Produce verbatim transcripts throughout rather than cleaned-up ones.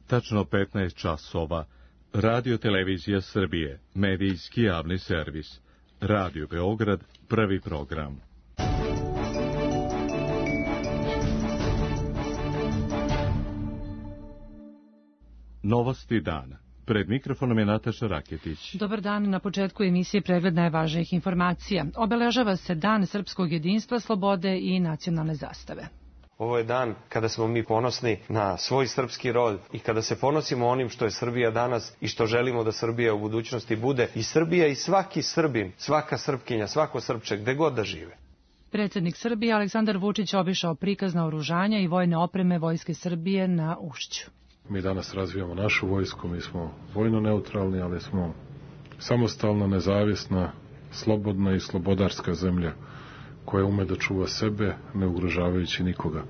Tačno petnaest časova. Radio Televizija Srbije, medijski javni servis. Radio Beograd, prvi program. Novosti dana. Pred mikrofonom je Nataša Raketić. Dobar dan, na početku emisije pregled najvažnijih informacija. Obeležava se Dan srpskog jedinstva, slobode i nacionalne zastave. Ovo je dan kada smo mi ponosni na svoj srpski rod i kada se ponosimo onim što je Srbija danas i što želimo da Srbija u budućnosti bude. I Srbija i svaki Srbin, svaka Srpkinja, svako Srpče, gde god da žive. Predsjednik Srbije Aleksandar Vučić obišao prikaz naoružanja i vojne opreme Vojske Srbije na Ušću. Mi danas razvijamo našu vojsku, mi smo vojno neutralni, ali smo samostalna, nezavisna, slobodna i slobodarska zemlja koja ume da čuva sebe, ne ugrožavajući nikoga.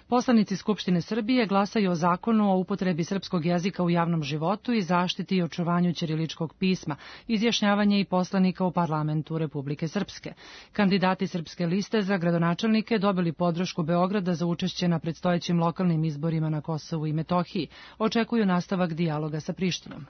Poslanici Skupštine Srbije glasaju o zakonu o upotrebi srpskog jezika u javnom životu i zaštiti i očuvanju ćiriličkog pisma, izjašnjavanje i poslanika u parlamentu Republike Srpske. Kandidati Srpske liste za gradonačelnike dobili podršku Beograda za učešće na predstojećim lokalnim izborima na Kosovu i Metohiji. Očekuju nastavak dijaloga sa Prištinom.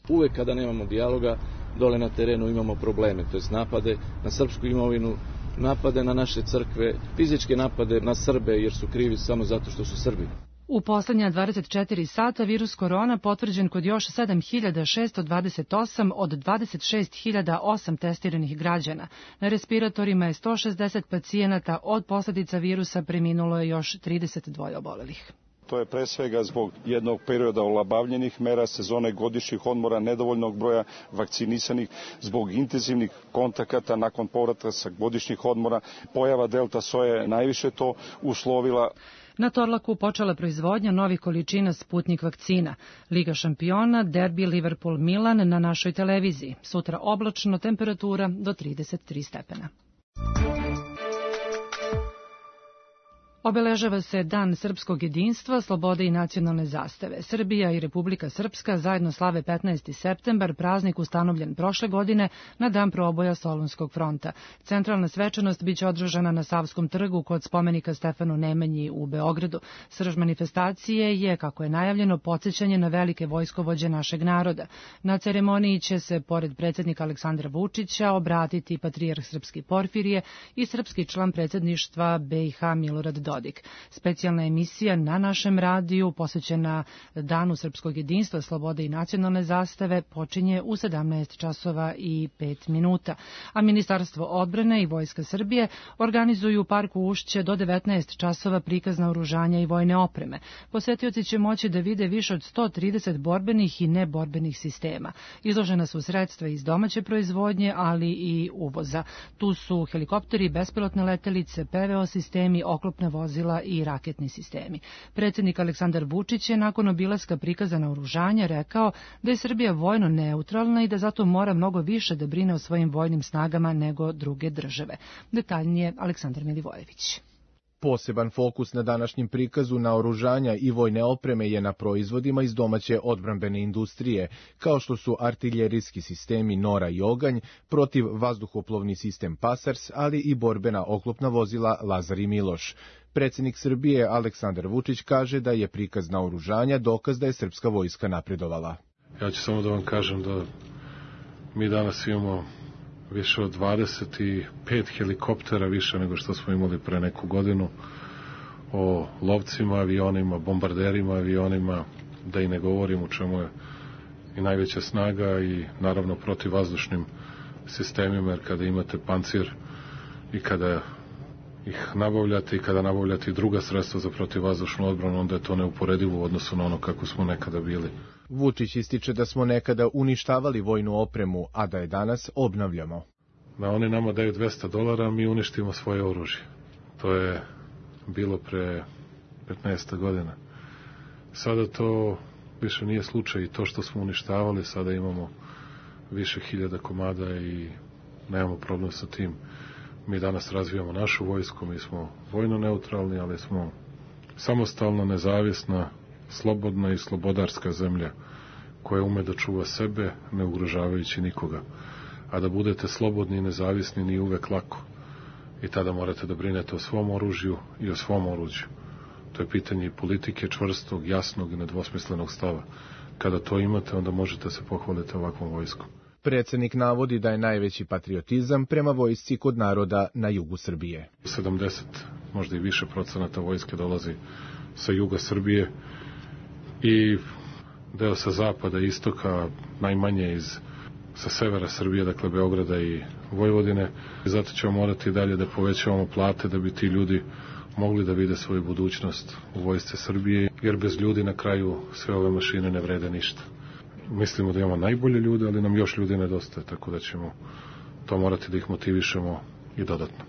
Uvek kada nemamo dijaloga, dole na terenu imamo probleme, to jest napade na srpsku imovinu, napade na naše crkve, fizičke napade na Srbe jer su krivi samo zato što su Srbi. U poslednja dvadeset četiri sata virus korona potvrđen kod još sedam hiljada šesto dvadeset osam od dvadeset šest hiljada osam testiranih građana. Na respiratorima je sto šezdeset pacijenata, od posledica virusa preminulo je još trideset dva obolelih. To je pre svega zbog jednog perioda olabavljenih mera, sezone godišnjih odmora, nedovoljnog broja vakcinisanih, zbog intenzivnih kontakata nakon povratka sa godišnjih odmora. Pojava delta soje je najviše to uslovila. Na Torlaku počela proizvodnja novih količina Sputnik vakcina. Liga šampiona, derbi Liverpool-Milan na našoj televiziji. Sutra oblačno, temperatura do trideset tri stepena. Obeležava se Dan srpskog jedinstva, slobode i nacionalne zastave. Srbija i Republika Srpska zajedno slave petnaesti septembar, praznik ustanovljen prošle godine na dan proboja Solunskog fronta. Centralna svečanost biće održana na Savskom trgu kod spomenika Stefanu Nemanji u Beogradu. Srž manifestacije je, kako je najavljeno, podsjećanje na velike vojskovođe našeg naroda. Na ceremoniji će se, pored predsjednika Aleksandra Vučića, obratiti patrijarh Srpski Porfirije i srpski član predsjedništva be i ha Milorad Dodik. Dodik. Specijalna emisija na našem radiju posvećena Danu srpskog jedinstva, slobode i nacionalne zastave počinje u sedamnaest časova i pet minuta. A Ministarstvo odbrane i Vojska Srbije organizuju u parku Ušće do devetnaest časova prikaz naoružanja i vojne opreme. Posetioci će moći da vide više od sto trideset borbenih i neborbenih sistema. Izložena su sredstva iz domaće proizvodnje, ali i uvoza. Tu su helikopteri, bespilotne letelice, pe ve o sistemi, oklopne vozila i raketni sistemi. Predsjednik Aleksandar Vučić je nakon obilaska prikaza naoružanja rekao da je Srbija vojno neutralna i da zato mora mnogo više da brine o svojim vojnim snagama nego druge države. Detaljnije Aleksandar Milivojević. Poseban fokus na današnjem prikazu naoružanja i vojne opreme je na proizvodima iz domaće odbrambene industrije, kao što su artiljerijski sistemi Nora i Oganj, protiv vazduhoplovni sistem Pasars, ali i borbena oklopna vozila Lazar i Miloš. Predsjednik Srbije Aleksandar Vučić kaže da je prikaz naoružanja dokaz da je srpska vojska napredovala. Ja ću samo da vam kažem da mi danas imamo više od dvadeset pet helikoptera više nego što smo imali pre neku godinu, o lovcima, avionima, bombarderima, avionima, da i ne govorim u čemu je i najveća snaga i naravno protivvazdušnim sistemima, jer kada imate pancir i kada ih nabavljate i kada nabavljate i druga sredstva za protivvazdušnu odbranu, onda je to neuporedivo u odnosu na ono kako smo nekada bili. Vučić ističe da smo nekada uništavali vojnu opremu, a da je danas obnavljamo. Da oni nama daju dvesta dolara, mi uništimo svoje oružje. To je bilo pre petnaest godina. Sada to više nije slučaj i to što smo uništavali, sada imamo više hiljada komada i nemamo problem sa tim. Mi danas razvijamo našu vojsku, mi smo vojno neutralni, ali smo samostalna, nezavisna, slobodna i slobodarska zemlja koja ume da čuva sebe, ne ugrožavajući nikoga. A da budete slobodni i nezavisni nije uvek lako. I tada morate da brinete o svom oružju i o svom oruđu. To je pitanje politike, čvrstog, jasnog i nedvosmislenog stava. Kada to imate, onda možete se pohvaliti ovakvom vojskom. Predsednik navodi da je najveći patriotizam prema vojsci kod naroda na jugu Srbije. sedamdeset, možda i više procenata vojske dolazi sa juga Srbije i deo sa zapada i istoka, najmanje iz sa severa Srbije, dakle Beograda i Vojvodine. I zato ćemo morati dalje da povećavamo plate da bi ti ljudi mogli da vide svoju budućnost u vojsci Srbije, jer bez ljudi na kraju sve ove mašine ne vrede ništa. Mislimo da imamo najbolje ljude, ali nam još ljudi nedostaje, tako da ćemo to morati da ih motivišemo i dodatno.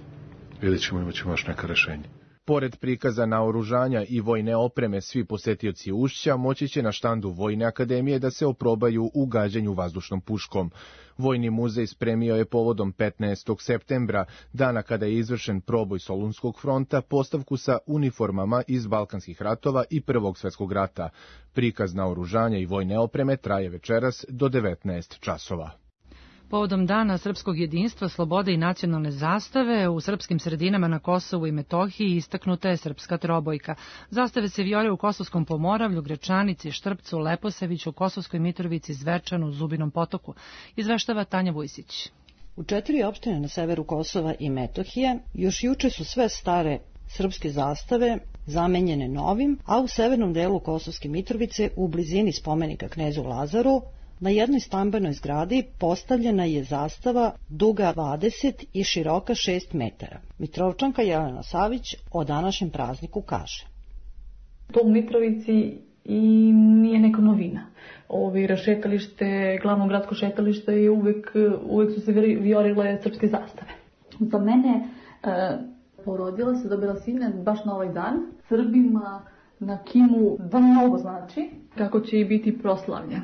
Vidjet ćemo, imat ćemo još neka rešenja. Pored prikaza naoružanja i vojne opreme, svi posetioci Ušća moći će na štandu Vojne akademije da se oprobaju u gađanju vazdušnom puškom. Vojni muzej spremio je povodom petnaestog septembra, dana kada je izvršen proboj Solunskog fronta, postavku sa uniformama iz Balkanskih ratova i Prvog svetskog rata. Prikaz naoružanja i vojne opreme traje večeras do devetnaest časova. Povodom Dana srpskog jedinstva, slobode i nacionalne zastave, u srpskim sredinama na Kosovu i Metohiji istaknuta je srpska trobojka. Zastave se vijore u Kosovskom Pomoravlju, Gračanici, Štrpcu, Leposaviću, Kosovskoj Mitrovici, Zvečanu, Zubinom Potoku. Izveštava Tanja Vujsić. U četiri opštine na severu Kosova i Metohije još juče su sve stare srpske zastave zamenjene novim, a u severnom delu Kosovske Mitrovice, u blizini spomenika knezu Lazaru, na jednoj stambenoj zgradi postavljena je zastava duga dvadeset i široka šest metara. Mitrovčanka Jelena Savić o današnjem prazniku kaže. To u Mitrovici i nije neka novina. Ovi rašetalište, glavno gradsko šetalište je uvek, uvek su se viorile srpske zastave. Za mene e, porodila se, dobila sine baš na ovaj dan. Srbima na Kimu da mnogo znači kako će i biti proslavlja.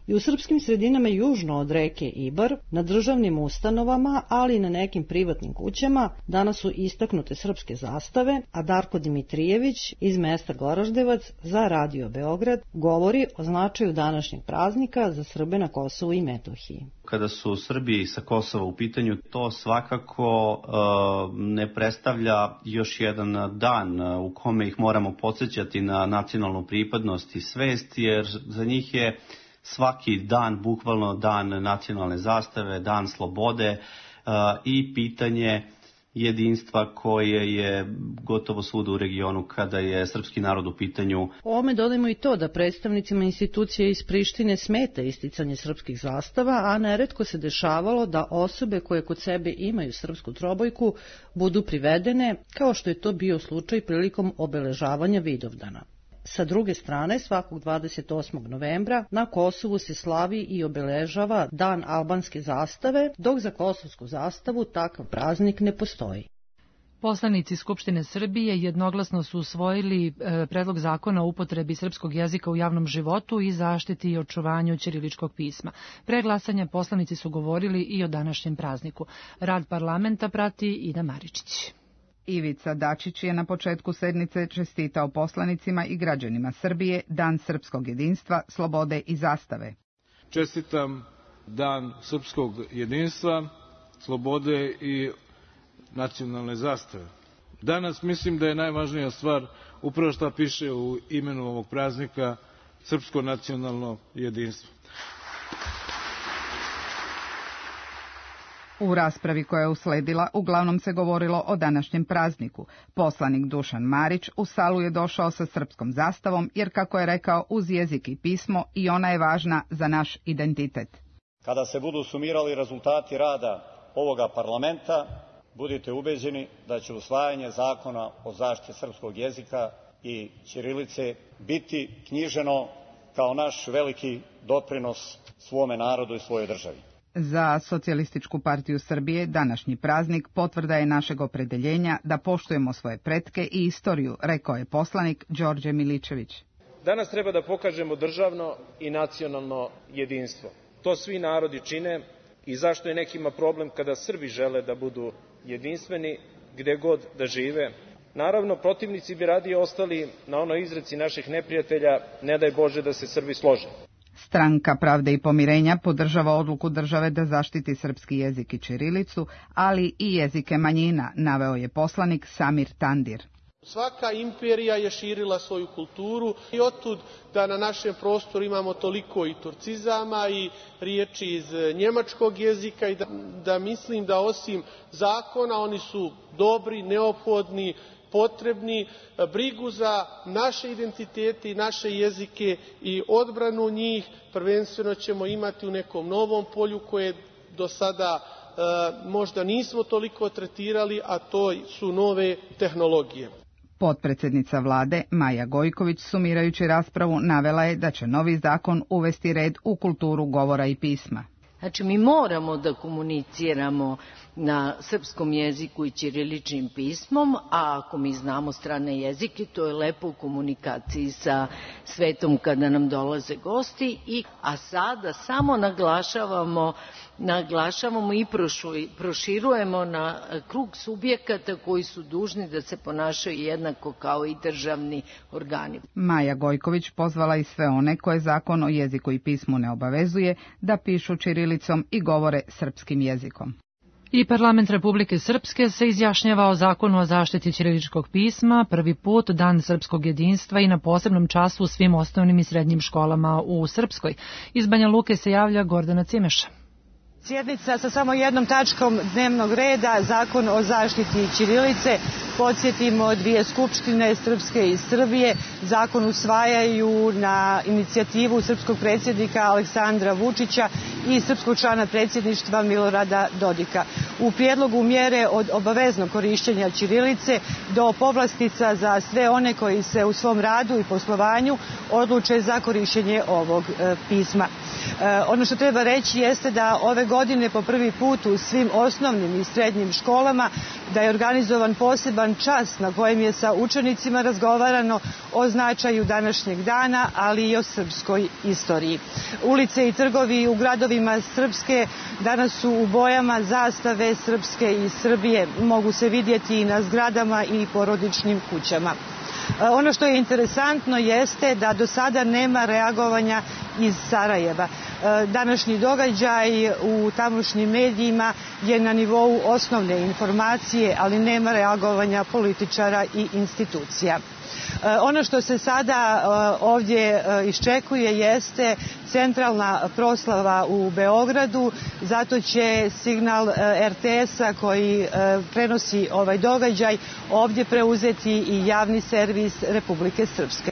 I u srpskim sredinama južno od reke Ibar, na državnim ustanovama, ali i na nekim privatnim kućama, danas su istaknute srpske zastave, a Darko Dimitrijević iz mesta Goraždevac za Radio Beograd govori o značaju današnjeg praznika za Srbe na Kosovu i Metohiji. Kada su Srbi sa Kosova u pitanju, to svakako uh, ne predstavlja još jedan dan u kome ih moramo podsjećati na nacionalnu pripadnost i svest, jer za njih je svaki dan bukvalno dan nacionalne zastave, dan slobode uh, i pitanje jedinstva koje je gotovo svuda u regionu kada je srpski narod u pitanju. Ovome dodajmo i to da predstavnicima institucije iz Prištine smeta isticanje srpskih zastava, a neretko se dešavalo da osobe koje kod sebe imaju srpsku trobojku budu privedene, kao što je to bio slučaj prilikom obeležavanja Vidovdana. Sa druge strane, svakog dvadeset osmog novembra na Kosovu se slavi i obeležava Dan albanske zastave, dok za kosovsku zastavu takav praznik ne postoji. Poslanici Skupštine Srbije jednoglasno su usvojili e, predlog zakona o upotrebi srpskog jezika u javnom životu i zaštiti i očuvanju ćiriličkog pisma. Pre glasanja poslanici su govorili i o današnjem prazniku. Rad parlamenta prati Ida Maričić. Ivica Dačić je na početku sednice čestitao poslanicima i građanima Srbije Dan srpskog jedinstva, slobode i zastave. Čestitam Dan srpskog jedinstva, slobode i nacionalne zastave. Danas mislim da je najvažnija stvar upravo što piše u imenu ovog praznika, srpsko nacionalno jedinstvo. U raspravi koja je usledila, uglavnom se govorilo o današnjem prazniku. Poslanik Dušan Marić u salu je došao sa srpskom zastavom, jer, kako je rekao, uz jezik i pismo i ona je važna za naš identitet. Kada se budu sumirali rezultati rada ovoga parlamenta, budite ubeđeni da će usvajanje zakona o zaštiti srpskog jezika i ćirilice biti knjiženo kao naš veliki doprinos svome narodu i svojoj državi. Za Socijalističku partiju Srbije današnji praznik potvrda je našeg opredeljenja da poštujemo svoje pretke i istoriju, rekao je poslanik Đorđe Miličević. Danas treba da pokažemo državno i nacionalno jedinstvo. To svi narodi čine i zašto je nekima problem kada Srbi žele da budu jedinstveni gde god da žive. Naravno, protivnici bi radije ostali na onoj izreci naših neprijatelja, ne daj Bože da se Srbi slože. Stranka Pravde i pomirenja podržava odluku države da zaštiti srpski jezik i ćirilicu, ali i jezike manjina, naveo je poslanik Samir Tandir. Svaka imperija je širila svoju kulturu i otud da na našem prostoru imamo toliko i turcizama i riječi iz njemačkog jezika i da, da mislim da osim zakona oni su dobri, neophodni, potrebni. Brigu za naše identitete i naše jezike i odbranu njih prvenstveno ćemo imati u nekom novom polju koje do sada e, možda nismo toliko tretirali, a to su nove tehnologije. Potpredsednica vlade Maja Gojković sumirajući raspravu navela je da će novi zakon uvesti red u kulturu govora i pisma. Znači mi moramo da komuniciramo na srpskom jeziku i ćiriličnim pismom, a ako mi znamo strane jezike, to je lepo u komunikaciji sa svetom kada nam dolaze gosti. I, a sada samo naglašavamo, naglašavamo i proširujemo na krug subjekata koji su dužni da se ponašaju jednako kao i državni organi. Maja Gojković pozvala i sve one koje zakon o jeziku i pismu ne obavezuje da pišu ćirilicom i govore srpskim jezikom. I Parlament Republike Srpske se izjašnjava o zakonu o zaštiti ćiriličkog pisma, prvi put Dan srpskog jedinstva i na posebnom času u svim osnovnim i srednjim školama u Srpskoj. Iz Banja Luke se javlja Gordana Cimeša. Sjednica sa samo jednom tačkom dnevnog reda, zakon o zaštiti ćirilice. Podsjetimo, dvije skupštine, Srpske i Srbije, zakon usvajaju na inicijativu srpskog predsjednika Aleksandra Vučića i srpskog člana predsjedništva Milorada Dodika. U prijedlogu mjere od obaveznog korišćenja ćirilice do povlastica za sve one koji se u svom radu i poslovanju odluče za korišćenje ovog e, pisma. E, ono što treba reći jeste da ove godine po prvi put u svim osnovnim i srednjim školama da je organizovan poseban čas na kojem je sa učenicima razgovarano o značaju današnjeg dana, ali i o srpskoj istoriji. Ulice i trgovi u gradovima Srpske danas su u bojama zastave Srpske i Srbije. Mogu se vidjeti i na zgradama i porodičnim kućama. Ono što je interesantno jeste da do sada nema reagovanja iz Sarajeva. Današnji događaj u tamošnjim medijima je na nivou osnovne informacije, ali nema reagovanja političara i institucija. Ono što se sada ovdje iščekuje jeste centralna proslava u Beogradu, zato će signal er te esa koji prenosi ovaj događaj ovdje preuzeti i javni servis Republike Srpske.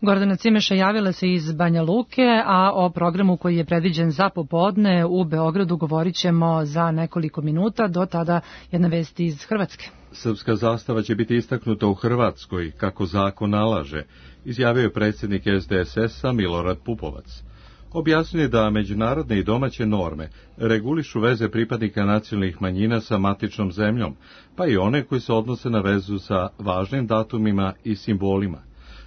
Gordana Cimeša javila se iz Banja Luke, a o programu koji je predviđen za popodne u Beogradu govorit ćemo za nekoliko minuta, do tada jedna vest iz Hrvatske. Srpska zastava će biti istaknuta u Hrvatskoj, kako zakon nalaže, izjavio je predsjednik es de es esa Milorad Pupovac. Objasnio je da međunarodne i domaće norme regulišu veze pripadnika nacionalnih manjina sa matičnom zemljom, pa i one koji se odnose na vezu sa važnim datumima i simbolima.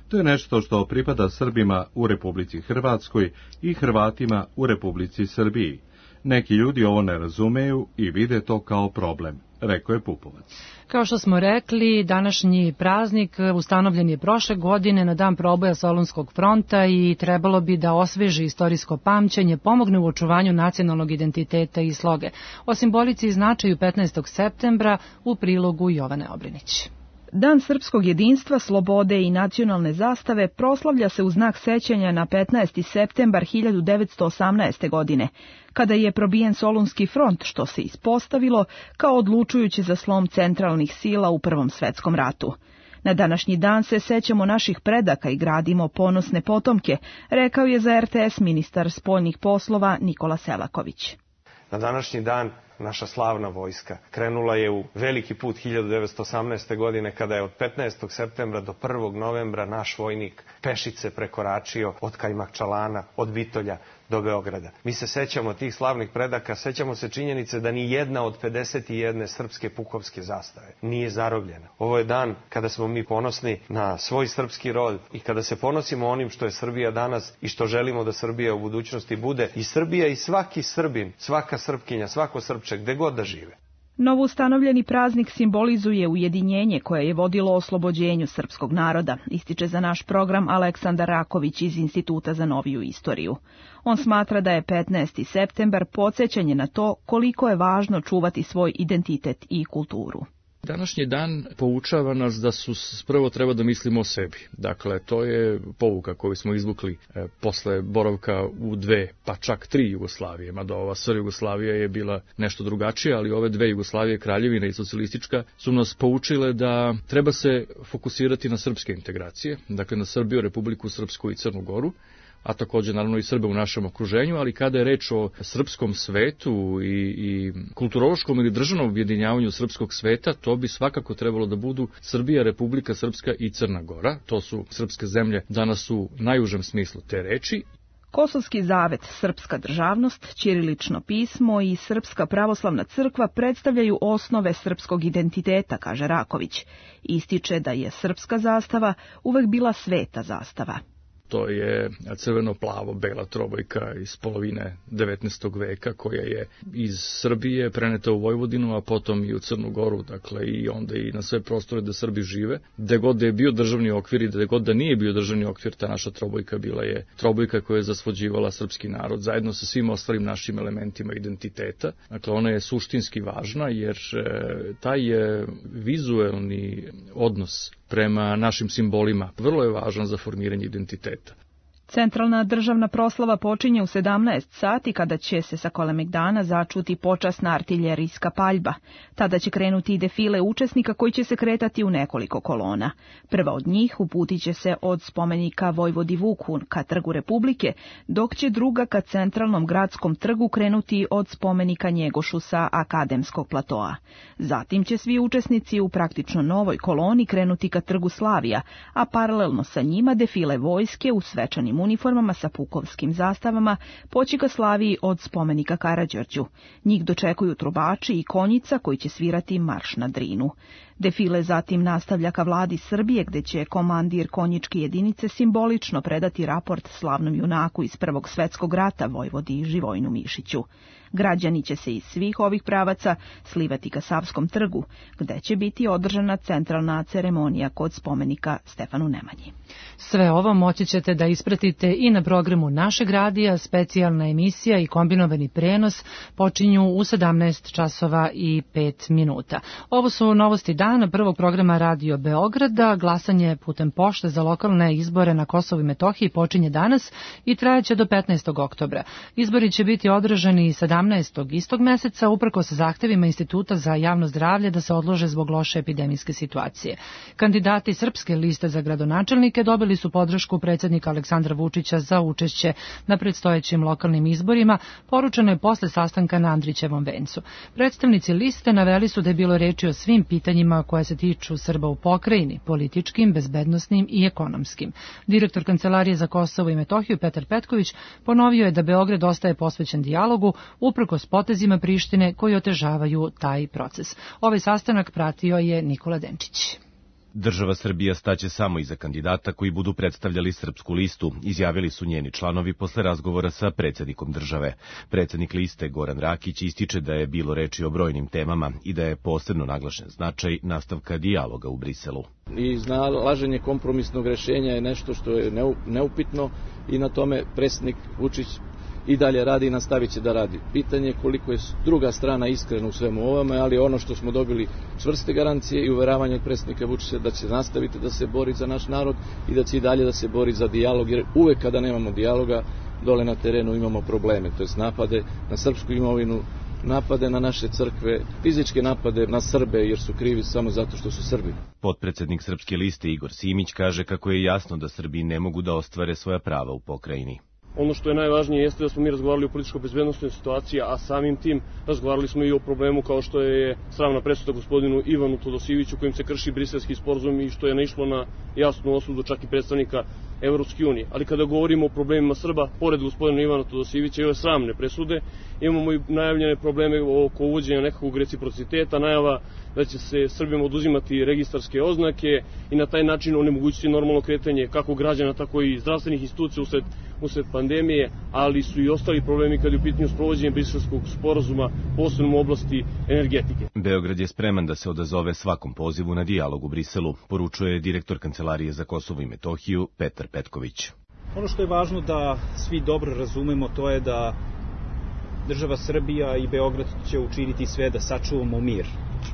To je nešto što pripada Srbima u Republici Hrvatskoj i Hrvatima u Republici Srbiji. Neki ljudi ovo ne razumeju i vide to kao problem, rekao je Pupovac. Kao što smo rekli, današnji praznik ustanovljen je prošle godine na dan proboja Solunskog fronta i trebalo bi da osveži istorijsko pamćenje, pomogne u očuvanju nacionalnog identiteta i sloge. O simbolici i značaju petnaestog septembra u prilogu Jovane Obrenić. Dan srpskog jedinstva, slobode i nacionalne zastave proslavlja se u znak sećanja na petnaesti septembar hiljadu devetsto osamnaeste. godine, kada je probijen Solunski front, što se ispostavilo kao odlučujući za slom centralnih sila u Prvom svetskom ratu. Na današnji dan se sećamo naših predaka i gradimo ponosne potomke, rekao je za er te es ministar spoljnih poslova Nikola Selaković. Na današnji dan naša slavna vojska krenula je u veliki put hiljadu devetsto osamnaeste. godine kada je od petnaestog septembra do prvog novembra naš vojnik pešice prekoračio od Kajmakčalana, od Bitolja do Beograda. Mi se sećamo tih slavnih predaka, sećamo se činjenice da ni jedna od pedeset jedne srpske pukovske zastave nije zarobljena. Ovo je dan kada smo mi ponosni na svoj srpski rod i kada se ponosimo onim što je Srbija danas i što želimo da Srbija u budućnosti bude. I Srbija i svaki Srbin, svaka Srpkinja, svako Srpče, gde god da žive. Novoustanovljeni praznik simbolizuje ujedinjenje koje je vodilo oslobođenju srpskog naroda, ističe za naš program Aleksandar Raković iz Instituta za noviju istoriju. On smatra da je petnaesti septembar podsjećanje na to koliko je važno čuvati svoj identitet i kulturu. Današnji dan poučava nas da su prvo treba da mislimo o sebi. Dakle, to je pouka koju smo izvukli e, posle boravka u dve, pa čak tri Jugoslavije. Mada ova S R Jugoslavija je bila nešto drugačija, ali ove dve Jugoslavije, Kraljevina i socijalistička, su nas poučile da treba se fokusirati na srpske integracije, dakle na Srbiju, Republiku Srpsku i Crnu Goru, a također naravno i Srbe u našem okruženju, ali kada je reč o srpskom svetu i, i kulturološkom ili državnom objedinjavanju srpskog sveta, to bi svakako trebalo da budu Srbija, Republika Srpska i Crna Gora. To su srpske zemlje danas u najužem smislu te reči. Kosovski zavet, srpska državnost, ćirilično pismo i Srpska pravoslavna crkva predstavljaju osnove srpskog identiteta, kaže Raković. Ističe da je srpska zastava uvek bila sveta zastava. To je crveno-plavo-bela trobojka iz polovine devetnaestog veka koja je iz Srbije preneta u Vojvodinu, a potom i u Crnu Goru, dakle i onda i na sve prostore da Srbi žive. Gde god da je bio državni okvir i gde god da nije bio državni okvir, ta naša trobojka bila je trobojka koja je zasvođivala srpski narod zajedno sa svim ostalim našim elementima identiteta. Dakle, ona je suštinski važna jer taj je vizuelni odnos prema našim simbolima vrlo je važan za formiranje identiteta. Centralna državna proslava počinje u sedamnaest sati kada će se sa Kalemegdana začuti počasna artiljerijska paljba. Tada će krenuti i defile učesnika koji će se kretati u nekoliko kolona. Prva od njih uputit će se od spomenika Vojvodi Vuku ka Trgu Republike, dok će druga ka centralnom gradskom trgu krenuti od spomenika Njegošu sa Akademskog platoa. Zatim će svi učesnici u praktično novoj koloni krenuti ka Trgu Slavija, a paralelno sa njima defile vojske u svečanim uniformama sa pukovskim zastavama poći ka Slaviji od spomenika Karađorđu. Njih dočekuju trubači i konjica koji će svirati marš na Drinu. Defile zatim nastavlja ka vladi Srbije gde će komandir konjičke jedinice simbolično predati raport slavnom junaku iz Prvog svetskog rata Vojvodi Živojinu Mišiću. Građani će se iz svih ovih pravaca slivati ka Savskom trgu, gde će biti održana centralna ceremonija kod spomenika Stefanu Nemanji. Sve ovo moći ćete da ispratite i na programu našeg radija. Specijalna emisija i kombinovani prenos počinju u sedamnaest časova i pet minuta. Ovo su novosti dana prvog programa Radio Beograda. Glasanje putem pošte za lokalne izbore na Kosovu i Metohiji počinje danas i trajaće do petnaestog oktobra. Izbori će biti održani sedamnaestog istog meseca uprkos zahtevima Instituta za javno zdravlje da se odlože zbog loše epidemijske situacije. Kandidati Srpske liste za gradonačelnike dobili su podršku predsjednika Aleksandra Vučića za učešće na predstojećim lokalnim izborima, poručeno je posle sastanka na Andrićevom vencu. Predstavnici liste naveli su da je bilo reči o svim pitanjima koje se tiču Srba u pokrajini, političkim, bezbednosnim i ekonomskim. Direktor Kancelarije za Kosovo i Metohiju Petar Petković ponovio je da Beograd ostaje posvećen dijalogu uprkos potezima Prištine koji otežavaju taj proces. Ovaj sastanak pratio je Nikola Denčić. Država Srbija staće samo iza kandidata koji budu predstavljali Srpsku listu, izjavili su njeni članovi posle razgovora sa predsjednikom države. Predsjednik liste Goran Rakić ističe da je bilo reči o brojnim temama i da je posebno naglašen značaj nastavka dijaloga u Briselu. I iznalaženje kompromisnog rešenja je nešto što je neupitno i na tome predsjednik Vučić i dalje radi i nastavit će da radi. Pitanje je koliko je druga strana iskrena u svemu ovome, ali ono što smo dobili čvrste garancije i uveravanje od predsjednika Vučića da će nastaviti da se bori za naš narod i da će i dalje da se bori za dijalog, jer uvek kada nemamo dijaloga, dole na terenu imamo probleme, to jest napade na srpsku imovinu, napade na naše crkve, fizičke napade na Srbe jer su krivi samo zato što su Srbi. Potpredsednik Srpske liste Igor Simić kaže kako je jasno da Srbi ne mogu da ostvare svoja prava u pokrajini. Ono što je najvažnije jeste da smo mi razgovarali o političko-bezbednostnoj situaciji, a samim tim razgovarali smo i o problemu kao što je sramna presuda gospodinu Ivanu Todosijeviću kojim se krši briselski sporazum i što je naišlo na jasnu osudu čak i predstavnika Evropske unije. Ali kada govorimo o problemima Srba, pored gospodina Ivana Todosijevića i ove sramne presude, imamo i najavljene probleme oko uvođenja nekakvog reciprociteta, najava da će se Srbima oduzimati registarske oznake i na taj način onemogućiti normalno kretanje kako građana, tako i zdravstvenih institucija usled, usled pandemije, ali su i ostali problemi kada je u pitanju sprovođenja briselskog sporazuma, posebno u oblasti energetike. Beograd je spreman da se odazove svakom pozivu na dijalog u Briselu, poručuje direktor Kancelarije za Kosovo i Metohiju Petar Petković. Ono što je važno da svi dobro razumemo, to je da država Srbija i Beograd će učiniti sve da sačuvamo mir.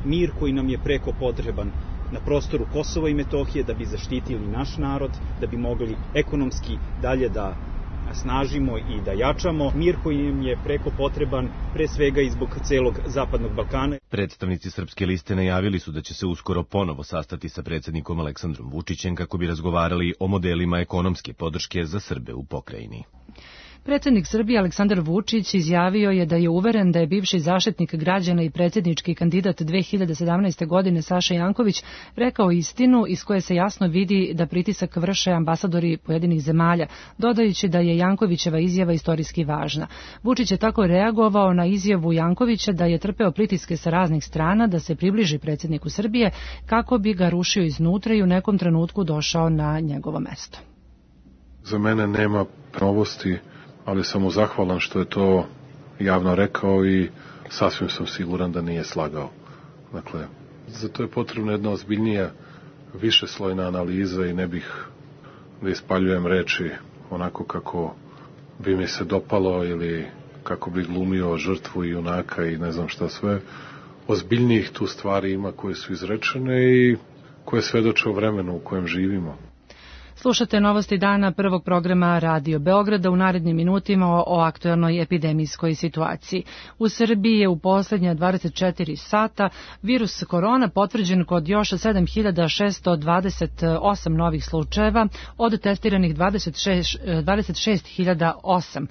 mir koji nam je preko potreban na prostoru Kosova i Metohije da bi zaštitili naš narod, da bi mogli ekonomski dalje da snažimo i da jačamo, mir koji im je preko potreban pre svega i zbog celog Zapadnog Balkana. Predstavnici Srpske liste najavili su da će se uskoro ponovo sastati sa predsjednikom Aleksandrom Vučićem kako bi razgovarali o modelima ekonomske podrške za Srbe u pokrajini. Predsjednik Srbije Aleksandar Vučić izjavio je da je uveren da je bivši zaštitnik građana i predsjednički kandidat dve hiljade sedamnaeste. godine Saša Janković rekao istinu iz koje se jasno vidi da pritisak vrše ambasadori pojedinih zemalja, dodajući da je Jankovićeva izjava istorijski važna. Vučić je tako reagovao na izjavu Jankovića da je trpeo pritiske sa raznih strana da se približi predsjedniku Srbije kako bi ga rušio iznutra i u nekom trenutku došao na njegovo mesto. Za mene nema novosti, ali sam mu zahvalan što je to javno rekao i sasvim sam siguran da nije slagao. Dakle, zato je potrebna jedna ozbiljnija, višeslojna analiza i ne bih da ispaljujem reči onako kako bi mi se dopalo ili kako bi glumio žrtvu i junaka i ne znam šta sve. Ozbiljnijih tu stvari ima koje su izrečene i koje svedoče o vremenu u kojem živimo. Slušate novosti dana prvog programa Radio Beograda u narednim minutima o, o aktuelnoj epidemijskoj situaciji. U Srbiji je u posljednja dvadeset četiri sata virus korona potvrđen kod još sedam hiljada šesto dvadeset osam novih slučajeva od testiranih dvadeset šest hiljada osam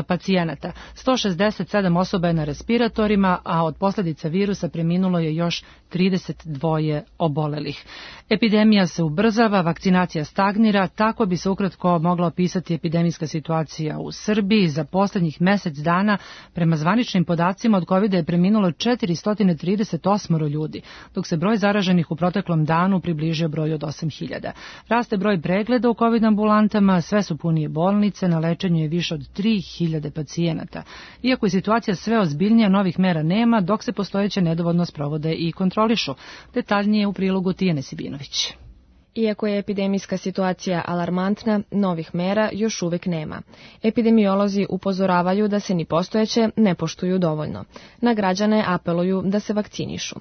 pacijenata. sto šezdeset sedam osoba je na respiratorima, a od posljedica virusa preminulo je još trideset dva obolelih. Epidemija se ubrzava, vakcinacija stagnira, tako bi se ukratko mogla opisati epidemijska situacija u Srbiji. Za posljednjih mjesec dana, prema zvaničnim podacima, od kovida je preminulo četiristo trideset osam ljudi, dok se broj zaraženih u proteklom danu približio broju od osam hiljada. Raste broj pregleda u kovid ambulantama, sve su punije bolnice, na lečenju je više od tri hiljade pacijenata. Iako je situacija sve ozbiljnija, novih mera nema, dok se postojeće nedovoljno sprovode i kontrolišu. Detaljnije u prilogu Tijane Sibinović. Iako je epidemijska situacija alarmantna, novih mera još uvijek nema. Epidemiolozi upozoravaju da se ni postojeće ne poštuju dovoljno. Na građane apeluju da se vakcinišu.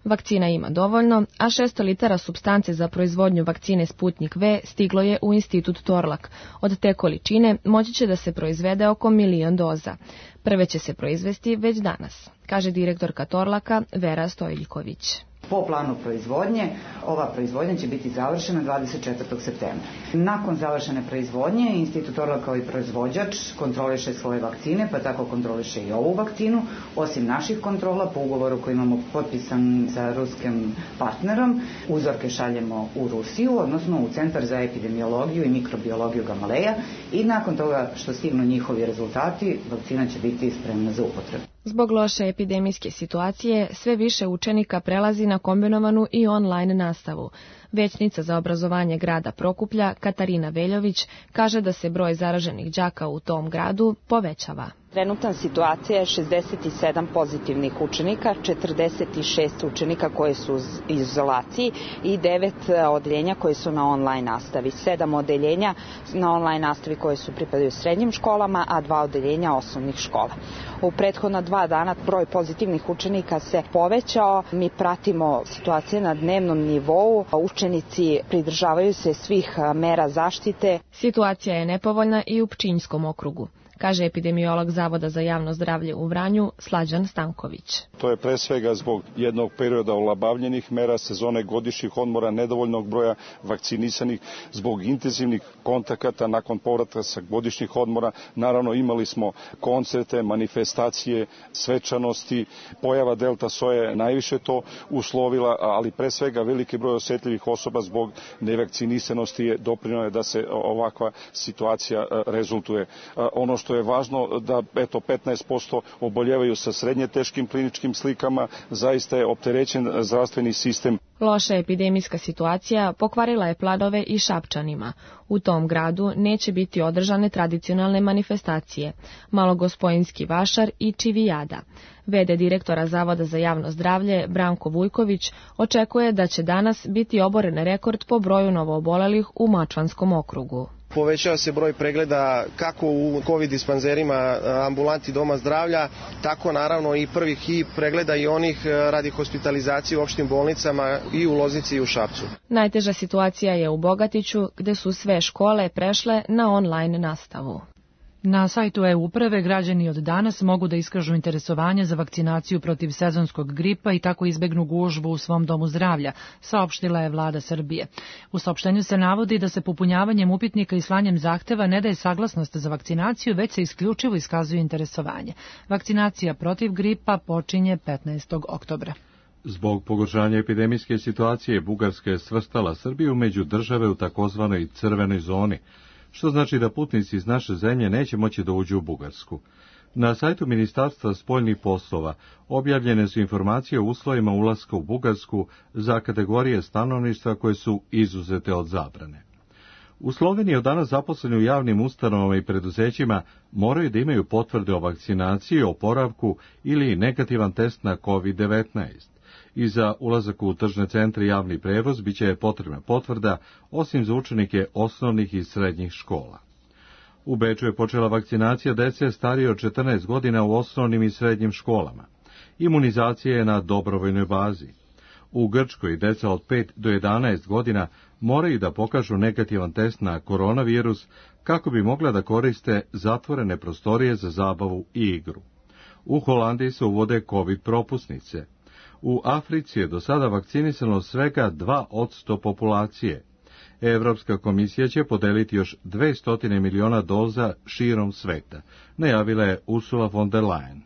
Vakcina ima dovoljno, a šesto litara supstance za proizvodnju vakcine Sputnik V stiglo je u institut Torlak. Od te količine moći će da se proizvede oko milion doza. Prve će se proizvesti već danas, kaže direktorka Torlaka Vera Stojljiković. Po planu proizvodnje, ova proizvodnja će biti završena dvadeset četvrtog septembra. Nakon završene proizvodnje, Institut Torlak kao i proizvođač kontroliše svoje vakcine, pa tako kontroliše i ovu vakcinu. Osim naših kontrola, po ugovoru koji imamo potpisan sa ruskim partnerom, uzorke šaljemo u Rusiju, odnosno u Centar za epidemiologiju i mikrobiologiju Gamaleja, i nakon toga što stignu njihovi rezultati, vakcina će biti spremna za upotrebu. Zbog loše epidemijske situacije, sve više učenika prelazi na kombinovanu i online nastavu. Većnica za obrazovanje grada Prokuplja, Katarina Veljović, kaže da se broj zaraženih đaka u tom gradu povećava. Trenutna situacija je šezdeset sedam pozitivnih učenika, četrdeset šest učenika koji su u izolaciji i devet odeljenja koji su na online nastavi. sedam odeljenja na online nastavi koje su pripadaju srednjim školama, a dva odeljenja osnovnih škola. U prethodna dva dana broj pozitivnih učenika se povećao. Mi pratimo situacije na dnevnom nivou. Učenici pridržavaju se svih mera zaštite. Situacija je nepovoljna i u Pčinjskom okrugu, kaže epidemiolog Zavoda za javno zdravlje u Vranju Slađan Stanković. To je pre svega zbog jednog perioda olabavljenih mera, sezone godišnjih odmora, nedovoljnog broja vakcinisanih, zbog intenzivnih kontakata nakon povratka sa godišnjih odmora. Naravno, imali smo koncerte, manifestacije, svečanosti. Pojava delta soje je najviše to uslovila, ali pre svega veliki broj osetljivih osoba zbog nevakcinisanosti je doprinio da se ovakva situacija rezultuje. Ono što je važno da eto petnaest posto oboljevaju sa srednje teškim kliničkim slikama, zaista je opterećen zdravstveni sistem. Loša epidemijska situacija pokvarila je planove i Šapčanima. U tom gradu neće biti održane tradicionalne manifestacije, Malogospojinski vašar i Čivijada. V D direktora Zavoda za javno zdravlje Branko Vujković očekuje da će danas biti oboren rekord po broju novoobolelih u Mačvanskom okrugu. Povećava se broj pregleda kako u COVID dispanzerima ambulanti doma zdravlja, tako naravno i prvih hi pregleda i onih radi hospitalizacije u opštim bolnicama i u Loznici i u Šapcu. Najteža situacija je u Bogatiću, gde su sve škole prešle na online nastavu. Na sajtu e-uprave građani od danas mogu da iskažu interesovanje za vakcinaciju protiv sezonskog gripa i tako izbegnu gužvu u svom domu zdravlja, saopštila je vlada Srbije. U saopštenju se navodi da se popunjavanjem upitnika i slanjem zahteva ne daje saglasnost za vakcinaciju, već se isključivo iskazuje interesovanje. Vakcinacija protiv gripa počinje petnaestog oktobra. Zbog pogoršanja epidemijske situacije, Bugarska je svrstala Srbiju među države u takozvanoj crvenoj zoni, što znači da putnici iz naše zemlje neće moći da uđu u Bugarsku. Na sajtu Ministarstva spoljnih poslova objavljene su informacije o uslovima ulaska u Bugarsku za kategorije stanovništva koje su izuzete od zabrane. U Sloveniji od danas zaposleni u javnim ustanovama i preduzećima moraju da imaju potvrde o vakcinaciji, oporavku ili negativan test na kovid devetnaest. I za ulazak u tržne centre i javni prevoz biće potrebna potvrda, osim za učenike osnovnih i srednjih škola. U Beču je počela vakcinacija dece starije od četrnaest godina u osnovnim i srednjim školama. Imunizacija je na dobrovoljnoj bazi. U Grčkoj deca od pet do jedanaest godina moraju da pokažu negativan test na koronavirus kako bi mogla da koriste zatvorene prostorije za zabavu i igru. U Holandiji se uvode COVID propusnice. U Africi je do sada vakcinisano svega dva posto populacije. Evropska komisija će podeliti još dvesta miliona doza širom sveta, najavila je Ursula von der Leyen.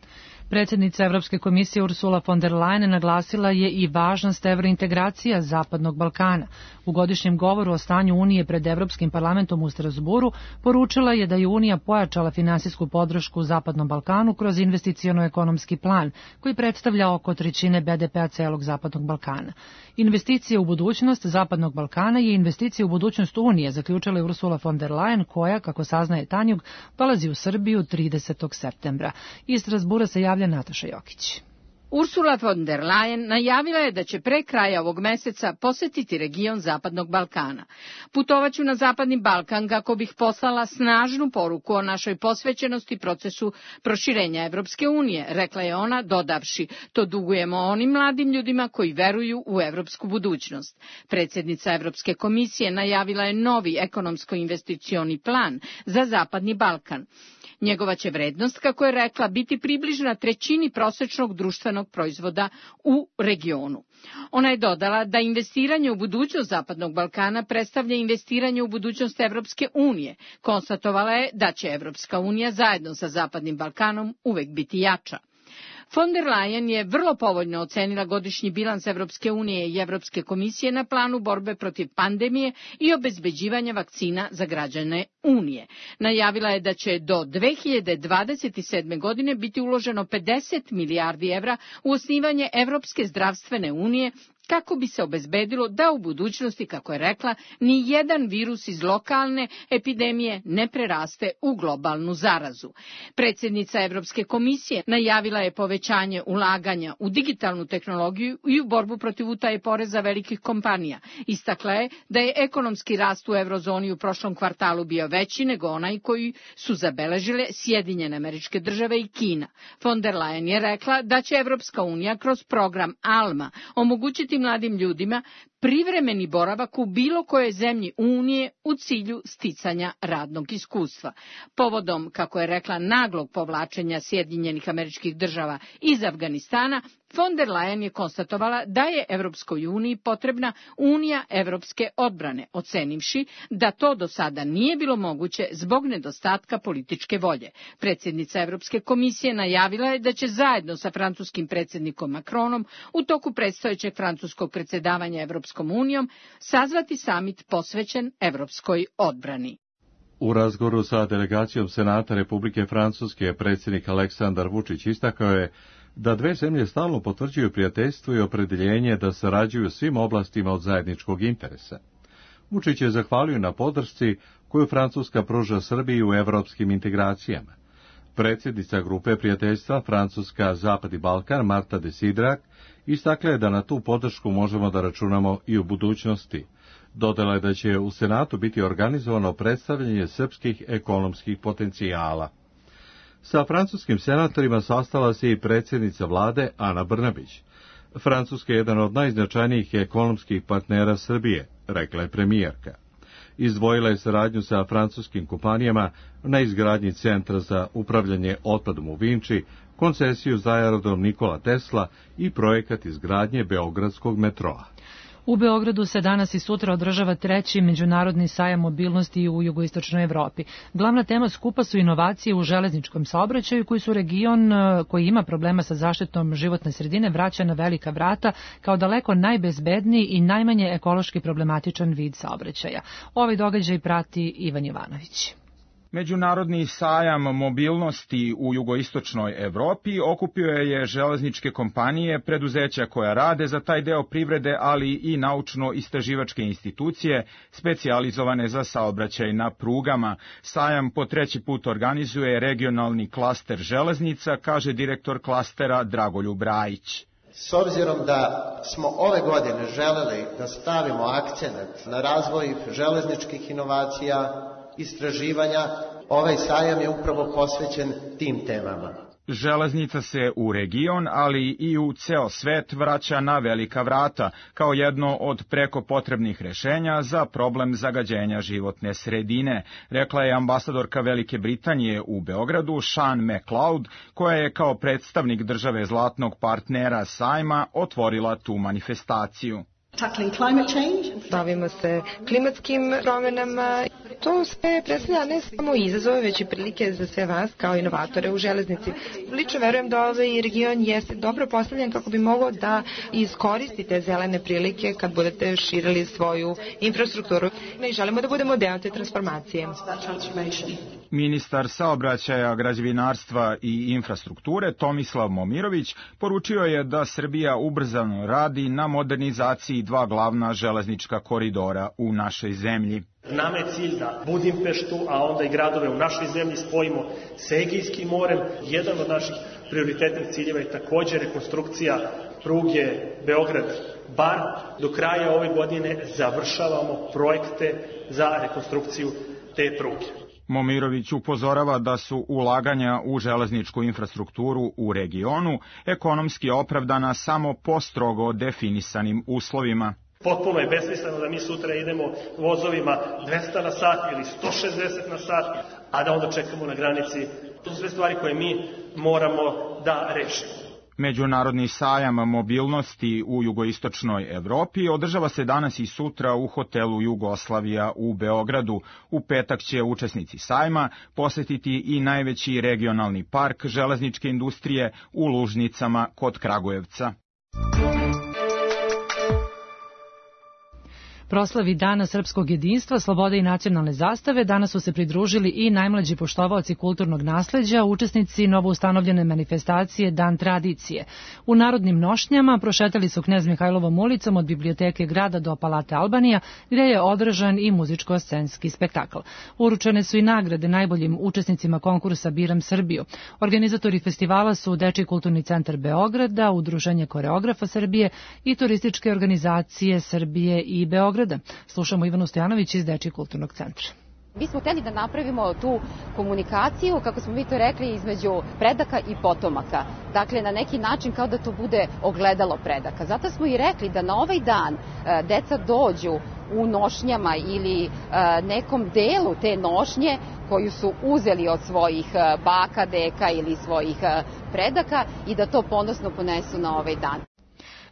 Predsjednica Evropske komisije Ursula von der Leyen naglasila je i važnost evrointegracija Zapadnog Balkana. U godišnjem govoru o stanju Unije pred Evropskim parlamentom u Strasburu poručila je da je Unija pojačala finansijsku podršku Zapadnom Balkanu kroz investiciono-ekonomski plan, koji predstavlja oko trećine be de pea celog Zapadnog Balkana. Investicije u budućnost Zapadnog Balkana je investicija u budućnost Unije, zaključila je Ursula von der Leyen, koja, kako saznaje Tanjug, dolazi u Srbiju tridesetog septembra. Iz Strasbura se javlja Nataša Jokić. Ursula von der Leyen najavila je da će pre kraja ovog meseca posetiti region Zapadnog Balkana. Putovaću na Zapadni Balkan kako bih poslala snažnu poruku o našoj posvećenosti procesu proširenja Evropske unije, rekla je ona, dodavši, to dugujemo onim mladim ljudima koji veruju u evropsku budućnost. Predsjednica Evropske komisije najavila je novi ekonomsko-investicioni plan za Zapadni Balkan. Njegova će vrednost, kako je rekla, biti približna trećini prosečnog društvenog proizvoda u regionu. Ona je dodala da investiranje u budućnost Zapadnog Balkana predstavlja investiranje u budućnost Evropske unije. Konstatovala je da će Evropska unija zajedno sa Zapadnim Balkanom uvek biti jača. Von der Leyen je vrlo povoljno ocenila godišnji bilans Evropske unije i Evropske komisije na planu borbe protiv pandemije i obezbeđivanja vakcina za građane Unije. Najavila je da će do dve hiljade dvadeset sedme. godine biti uloženo pedeset milijardi evra u osnivanje Evropske zdravstvene unije, kako bi se obezbedilo da u budućnosti, kako je rekla, ni jedan virus iz lokalne epidemije ne preraste u globalnu zarazu. Predsjednica Evropske komisije najavila je povećanje ulaganja u digitalnu tehnologiju i u borbu protiv utaje poreza velikih kompanija. Istakla je da je ekonomski rast u eurozoni u prošlom kvartalu bio veći nego onaj koji su zabeležile Sjedinjene Američke Države i Kina. Von der Leyen je rekla da će Evropska unija kroz program ALMA omogućiti mladim ljudima privremeni boravak u bilo kojoj zemlji Unije u cilju sticanja radnog iskustva. Povodom, kako je rekla, naglog povlačenja Sjedinjenih Američkih Država iz Afganistana, von der Leyen je konstatovala da je Evropskoj uniji potrebna Unija evropske odbrane, ocenivši da to do sada nije bilo moguće zbog nedostatka političke volje. Predsjednica Evropske komisije najavila je da će zajedno sa francuskim predsjednikom Macronom u toku predstojećeg francuskog predsjedavanja Evropskom unijom sazvati samit posvećen evropskoj odbrani. U razgovoru sa delegacijom Senata Republike Francuske predsjednik Aleksandar Vučić istakao je da dve zemlje stalno potvrđuju prijateljstvo i opredeljenje da sarađuju svim oblastima od zajedničkog interesa. Vučić je zahvalio na podršci koju Francuska pruža Srbiji u evropskim integracijama. Predsjednica grupe prijateljstva Francuska Zapadni Balkan Marta de Sidrak istakla je da na tu podršku možemo da računamo i u budućnosti. Dodala je da će u Senatu biti organizovano predstavljanje srpskih ekonomskih potencijala. Sa francuskim senatorima sastala se i predsjednica vlade Ana Brnabić. Francuska je jedan od najznačajnijih ekonomskih partnera Srbije, rekla je premijerka. Izdvojila je saradnju sa francuskim kompanijama na izgradnji centra za upravljanje otpadom u Vinči, koncesiju za aerodrom Nikola Tesla i projekat izgradnje Beogradskog metroa. U Beogradu se danas i sutra održava treći međunarodni sajam mobilnosti u jugoistočnoj Evropi. Glavna tema skupa su inovacije u železničkom saobraćaju koji su region koji ima problema sa zaštitom životne sredine vraća na velika vrata kao daleko najbezbedniji i najmanje ekološki problematičan vid saobraćaja. Ovaj događaj prati Ivan Jovanović. Međunarodni sajam mobilnosti u jugoistočnoj Evropi okupio je železničke kompanije, preduzeća koja rade za taj deo privrede, ali i naučno-istraživačke institucije specijalizovane za saobraćaj na prugama. Sajam po treći put organizuje regionalni klaster železnica, kaže direktor klastera Dragoljub Rajić. S obzirom da smo ove godine želeli da stavimo akcenat na razvoj železničkih inovacija, istraživanja, ovaj sajam je upravo posvećen tim temama. Železnica se u region, ali i u ceo svet vraća na velika vrata, kao jedno od preko potrebnih rešenja za problem zagađenja životne sredine, rekla je ambasadorka Velike Britanije u Beogradu Sean McLeod, koja je kao predstavnik države zlatnog partnera sajma otvorila tu manifestaciju. Bavimo se klimatskim promjenama. To sve predstavlja ne samo izazove, već i prilike za sve vas kao inovatore u železnici. Lično verujem da ovaj region jeste dobro postavljen kako bi mogao da iskoristite zelene prilike kad budete širili svoju infrastrukturu. Mi želimo da budemo deo te transformacije. Ministar saobraćaja, građevinarstva i infrastrukture Tomislav Momirović poručio je da Srbija ubrzano radi na modernizaciji dva glavna železnička koridora u našoj zemlji. Nama je cilj da Budimpeštu, a onda i gradove u našoj zemlji spojimo s Egejskim morem. Jedan od naših prioritetnih ciljeva je također rekonstrukcija pruge Beograd-Bar. Do kraja ove godine završavamo projekte za rekonstrukciju te pruge. Momirović upozorava da su ulaganja u železničku infrastrukturu u regionu ekonomski opravdana samo po strogo definisanim uslovima. Potpuno je besmisleno da mi sutra idemo vozovima dvesta na sat ili sto šezdeset na sat, a da onda čekamo na granici. To su sve stvari koje mi moramo da rešimo. Međunarodni sajam mobilnosti u jugoistočnoj Evropi održava se danas i sutra u hotelu Jugoslavija u Beogradu. U petak će učesnici sajma posetiti i najveći regionalni park železničke industrije u Lužnicama kod Kragujevca. Proslavi Dana srpskog jedinstva, slobode i nacionalne zastave danas su se pridružili i najmlađi poštovaoci kulturnog nasleđa, učesnici novoustanovljene manifestacije Dan tradicije. U narodnim nošnjama prošetali su Knez Mihajlovom ulicom od biblioteke grada do Palate Albanija, gdje je održan i muzičko-scenski spektakl. Uručene su i nagrade najboljim učesnicima konkursa Biram Srbiju. Organizatori festivala su Dečiji kulturni centar Beograda, Udruženje koreografa Srbije i turističke organizacije Srbije i Beograda. Slušamo Ivanu Stojanović iz Dečijeg kulturnog centra. Mi smo hteli da napravimo tu komunikaciju, kako smo mi to rekli, između predaka i potomaka. Dakle, na neki način kao da to bude ogledalo predaka. Zato smo i rekli da na ovaj dan deca dođu u nošnjama ili nekom delu te nošnje koju su uzeli od svojih baka, deka ili svojih predaka i da to ponosno ponesu na ovaj dan.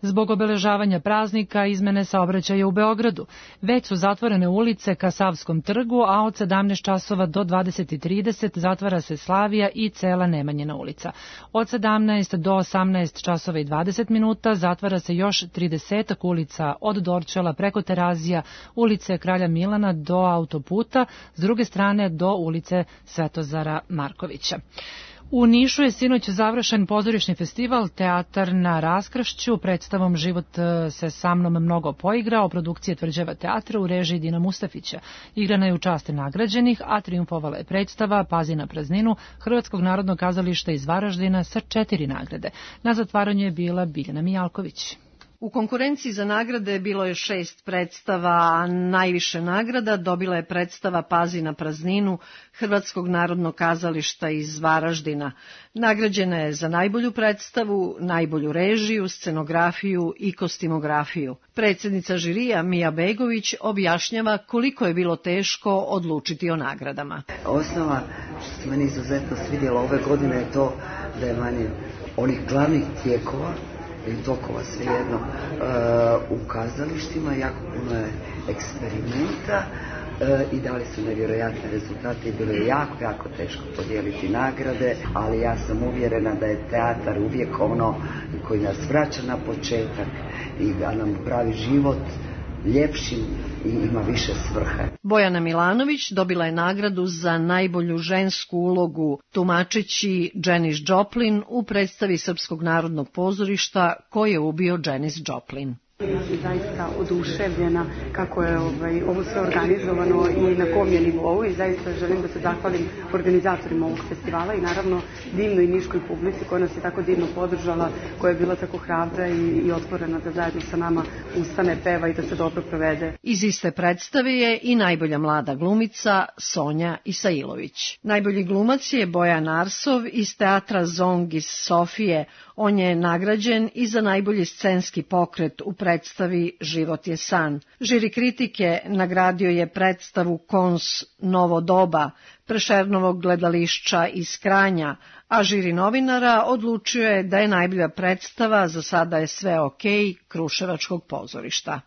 Zbog obeležavanja praznika izmene saobraćaja u Beogradu. Već su zatvorene ulice ka Savskom trgu, a od sedamnaest časova do dvadeset trideset zatvara se Slavija i cela Nemanjina ulica. Od sedamnaest do osamnaest časova i dvadeset minuta zatvara se još tridesetak ulica od Dorćola preko Terazija, ulice Kralja Milana do autoputa, s druge strane do ulice Svetozara Markovića. U Nišu je sinoć završen pozorišni festival Teatar na raskršću. Predstavom Život se sa mnom mnogo poigrao, produkcije Tvrđava teatra u režiji Dina Mustafića. Igrana je u čast nagrađenih, a triumfovala je predstava Pazi na prazninu Hrvatskog narodnog kazališta iz Varaždina sa četiri nagrade. Na zatvaranju je bila Biljana Mijalković. U konkurenciji za nagrade bilo je šest predstava, a najviše nagrada dobila je predstava Pazi na prazninu Hrvatskog narodnog kazališta iz Varaždina. Nagrađena je za najbolju predstavu, najbolju režiju, scenografiju i kostimografiju. Predsjednica žirija Mija Begović objašnjava koliko je bilo teško odlučiti o nagradama. Osnova što se meni izuzetno svidjela ove godine je to da je manje onih glavnih tijekova ili tokova svejedno u kazalištima, jako puno je eksperimenta i dali su nevjerojatne rezultate i bilo je jako, jako teško podijeliti nagrade, ali ja sam uvjerena da je teatar uvijek ono koji nas vraća na početak i da nam pravi život ljepšim i ima više svrhe. Bojana Milanović dobila je nagradu za najbolju žensku ulogu tumačeći Janis Joplin u predstavi Srpskog narodnog pozorišta Ko je ubio Janis Joplin. Ja sam zaista oduševljena kako je ovaj, ovo sve organizovano i na kom je nivou i zaista želim da se zahvalim organizatorima ovog festivala i naravno divnoj niškoj publici koja nas je tako divno podržala, koja je bila tako hrabra i, i otvorena da zajedno sa nama ustane, peva i da se dobro provede. Iz iste predstave je i najbolja mlada glumica Sonja Isailović. Najbolji glumac je Bojan Arsov iz teatra Zong iz Sofije. On je nagrađen i za najbolji scenski pokret u predstavi Život je san. Žiri kritike nagradio je predstavu Kons Novo doba, Prešernovog gledališća iz Kranja, a žiri novinara odlučio je da je najbolja predstava Za sada je sve okej Kruševačkog pozorišta.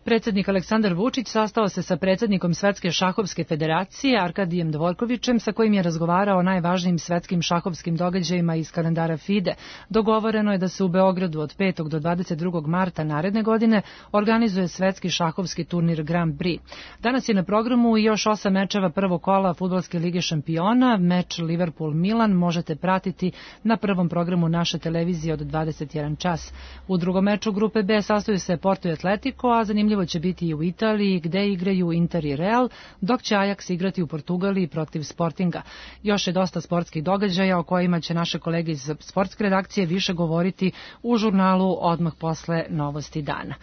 Predsjednik Aleksandar Vučić sastao se sa predsjednikom Svetske šahovske federacije Arkadijem Dvorkovićem, sa kojim je razgovarao o najvažnijim svetskim šahovskim događajima iz kalendara FIDE. Dogovoreno je da se u Beogradu od petog do dvadeset drugog marta naredne godine organizuje svetski šahovski turnir Grand Prix. Danas je na programu i još osam mečeva prvog kola Fudbalske lige šampiona. Meč Liverpool-Milan možete pratiti na prvom programu naše televizije od dvadeset jedan čas. U drugom meču grupe B sastoji se Porto i Atletico, a zanimljivo će biti i u Italiji, gde igraju Inter i Real, dok će Ajax igrati u Portugaliji protiv Sportinga. Još je dosta sportskih događaja o kojima će naše kolege iz sportske redakcije više govoriti u žurnalu odmah posle novosti dana.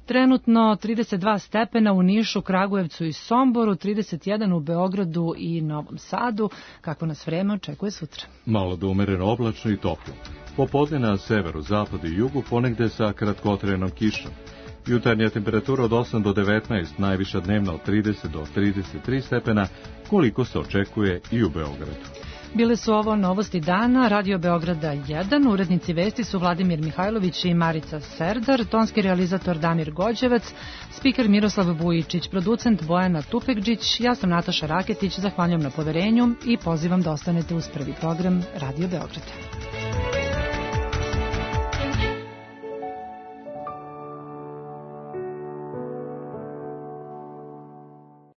Trenutno trideset dva stepena u Nišu, Kragujevcu i Somboru, trideset jedan u Beogradu i Novom Sadu. Kako nas vreme očekuje sutra? Malo do umereno oblačno i toplo. Popodne na severu, zapadu i jugu ponegde sa kratkotrenom kišom. Jutarnja temperatura od osam do devetnaest, najviša dnevna od trideset do trideset tri stepena, koliko se očekuje i u Beogradu. Bile su ovo novosti dana, Radio Beograda jedan, urednici vesti su Vladimir Mihajlović i Marica Serdar, tonski realizator Damir Gođevac, spiker Miroslav Vujičić, producent Bojana Tupekđić, ja sam Nataša Raketić, zahvaljujem na poverenju i pozivam da ostanete uz prvi program Radio Beograda.